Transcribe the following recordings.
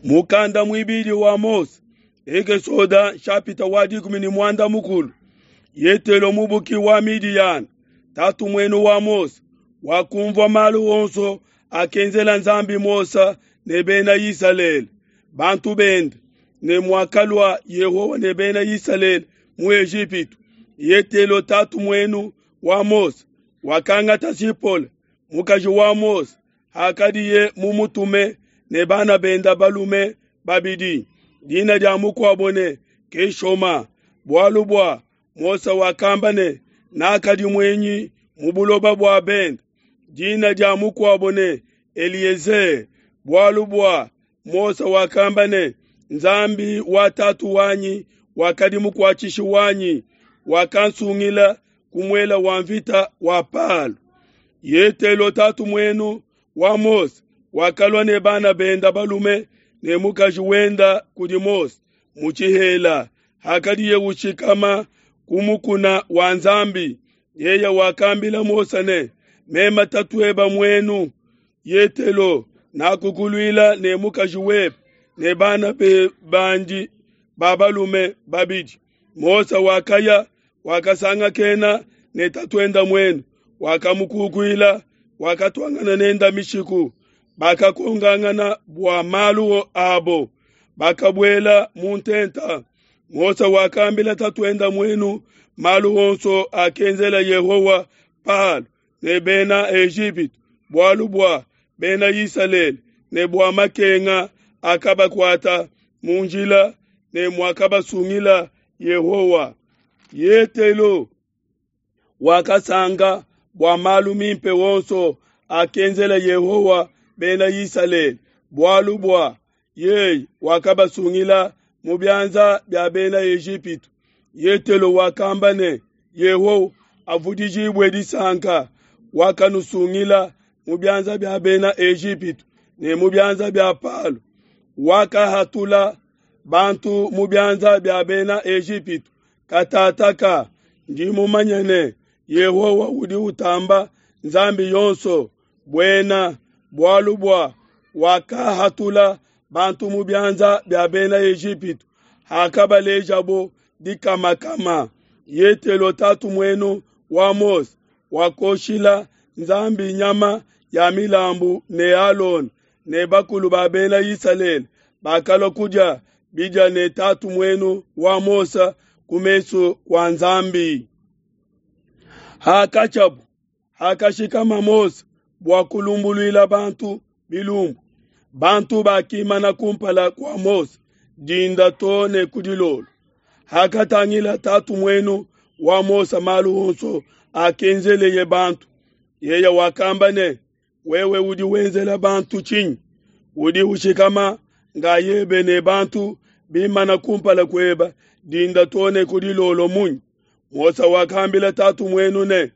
Mukanda muibidi wa Mose, Ekesoda nshapita wa 13. Yetelo mubuki wa Midiyana, tatu muenu wa Mose, wakumvua malu onso akenzela Nzambi Mose ne bena Isalele, bantu bende, ne muakalua Yehowa ne bena Isalele mu Ejipitu. Yetelo tatu muenu wa Mose wakangata Zipola, mukaji wa Mose, hakadiye mumutume ne bana benda balume babidi. Dina dia mukuabo ne Keshoma, bualu bua Mose wakamba ne, nakadi muenyi mu buloba bua bende. Dina dia mukuabo ne Eliezer, bualu bua Mose wakamba ne, Nzambi wa tatu wanyi wakadi mukuatshishi wanyi, wakansungila ku muela wa mvita wa Palo. Yetelo tatu muenu wa Mose wakalua ne bana benda balume ne mukaji wenda kudi Mose mu tshihela hakadiye ushikama ku mukuna wa Nzambi. Yeye wakambila Mose ne, mema tatueba muenu Yetelo nakukuluila ne mukaji webe ne bana be bandi ba balume babidi. Mose wakaya wakasangakena ne tatuenda muenu, wakamukukuila, wakatuangana nenda mishiku. Bakakongangana bua malu abo, bakabuela mu ntenta. Mose wakambila tatuenda muenu malu onso akenzela Yehowa Palo ne bena Ejipitu, bualu bua bena Isalele ne bua makenga akabakuata mu njila ne muakabasungila Yehowa. Yetelo wakasanga bua malu mimpe wonso akenzela Yehowa bena Isalele, bualu bua yeye wakabasungila mu bianza bia bena Ejipitu. Yetelo wakamba ne, Yehowa avudijibue disanka, wakanusungila mu bianza bia bena Ejipitu ne mu bianza bia Palo, wakahatula bantu mu bianza bia bena Ejipitu. Katataka ndi mumanye ne, Yehowa udi utamba Nzambi yonso buena, bualu bua wakahatula bantu mu bianza bia bena Ejipitu hakabalejabo dikamakama. Yetelo tatu muenu wa Mose wakoshila Nzambi nyama ya milambu ne Alona ne bakulu ba bena Isalele bakalua kudia bidia ne tatu muenu wa Mose ku mesu kua Nzambi. Hakatshiabu, hakashikama Mose bua kulumbuluila bantu bilumbu, bantu bakimana kumpala kua Mose dinda to ne ku dilolo. Hakatangila tatu muenu wa Mose malu onso akenzeleye bantu, yeye wakamba ne, wewe udi wenzela bantu tshinyi? Udi ushikama ngayebe ne bantu bimana kumpala kueba dinda to ne ku dilolo munyi? Mose wakambila tatu muenu ne,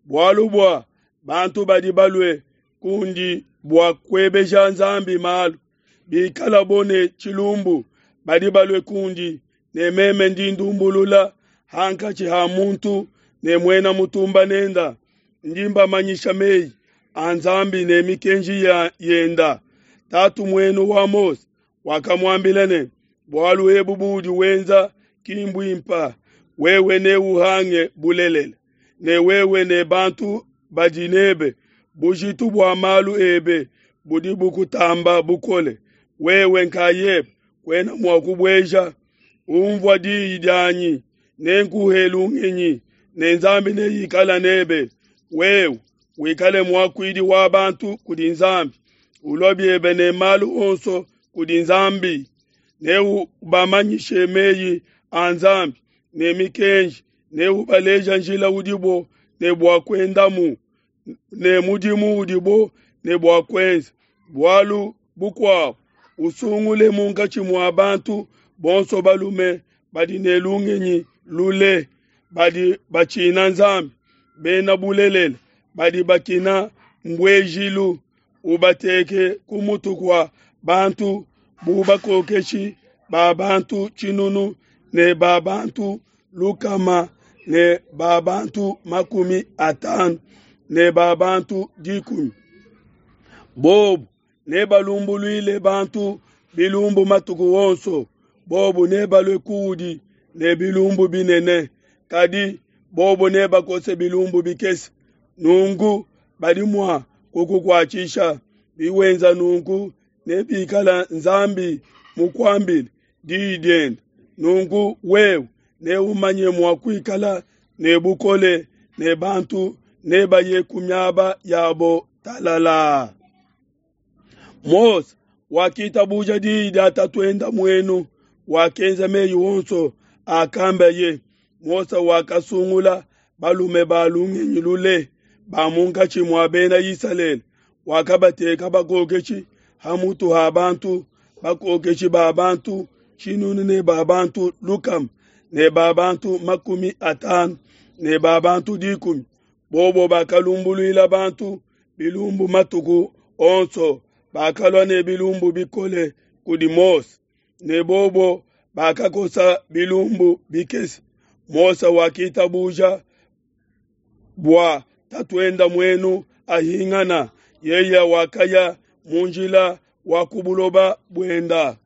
bualu bua bantu badi balue kundi bua kuebeja Nzambi malu, bikalabo ne tshilumbu badi balue kundi, ne meme ndi ndumbulula hankatshi ha muntu ne muena mutumba nenda. Ndi mbamanyisha meyi a Nzambi ne mikenji ya yenda. Tatu muenu wa Mose wakamuambila ne, bualu ebu buudi wenza ki mbuimpa, wewe neuhange bulelela, ne wewe ne bantu badi nebe, bujitu bua malu ebe budi bukutamba bukole, wewe nkayebe kuena mua kubueja. Umvua diyi dianyi, nenkuhe lungenyi, ne Nzambi neikala nebe. Wewe wikale muakuidi wa bantu kudi Nzambi, ulua biebe ne malu onso kudi Nzambi, neubamanyishe meyi a Nzambi ne mikenji, neubaleja njila udibo ne bua kuendamu ne mudimu udibo ne bua kuenza. Bualu bukuabo, usungule munkatshi mua bantu bonso balume badi ne lungenyi lule, badi batshina Nzambi, bena bulelela, badi bakina mbuejilu, ubateke ku mutu kua bantu bu bakokeshi ba bantu tshinunu ne ba bantu lukama ne ba bantu 50 ne ba bantu 10. Bobu nebalumbuluile bantu bilumbu matuku onso, bobu nebalue kuudi ne bilumbu binene, kadi bobu nebakose bilumbu bikese. Nunku badi mua kukukuatshisha. Biwenza nunku ne bikala Nzambi mukuambile diyi diende, nunku wewe neumanye mua kuikala ne bukole ne bantu nebaye ku miaba yabo talalaa. Mose wakitabuja diyi dia tatuende muenu, wakenza meyi onso akambaye. Mose wakasungula balume ba lungenyi lule ba munkatshi mua bena Isalele, wakabateka bakokeshi ha mutu ha bantu, bakokeshi ba bantu tshinunu ne ba bantu lukama ne ba bantu 50 ne ba bantu 10. Bobo bakalumbuluila bantu bilumbu matuku onso, bakalua ne bilumbu bikole kudi Mose, ne bobo bakakosa bilumbu bikese. Mose wakitabuja bua tatuende muenu ahingana, yeye wakaya mu njila wa ku buloba buenda.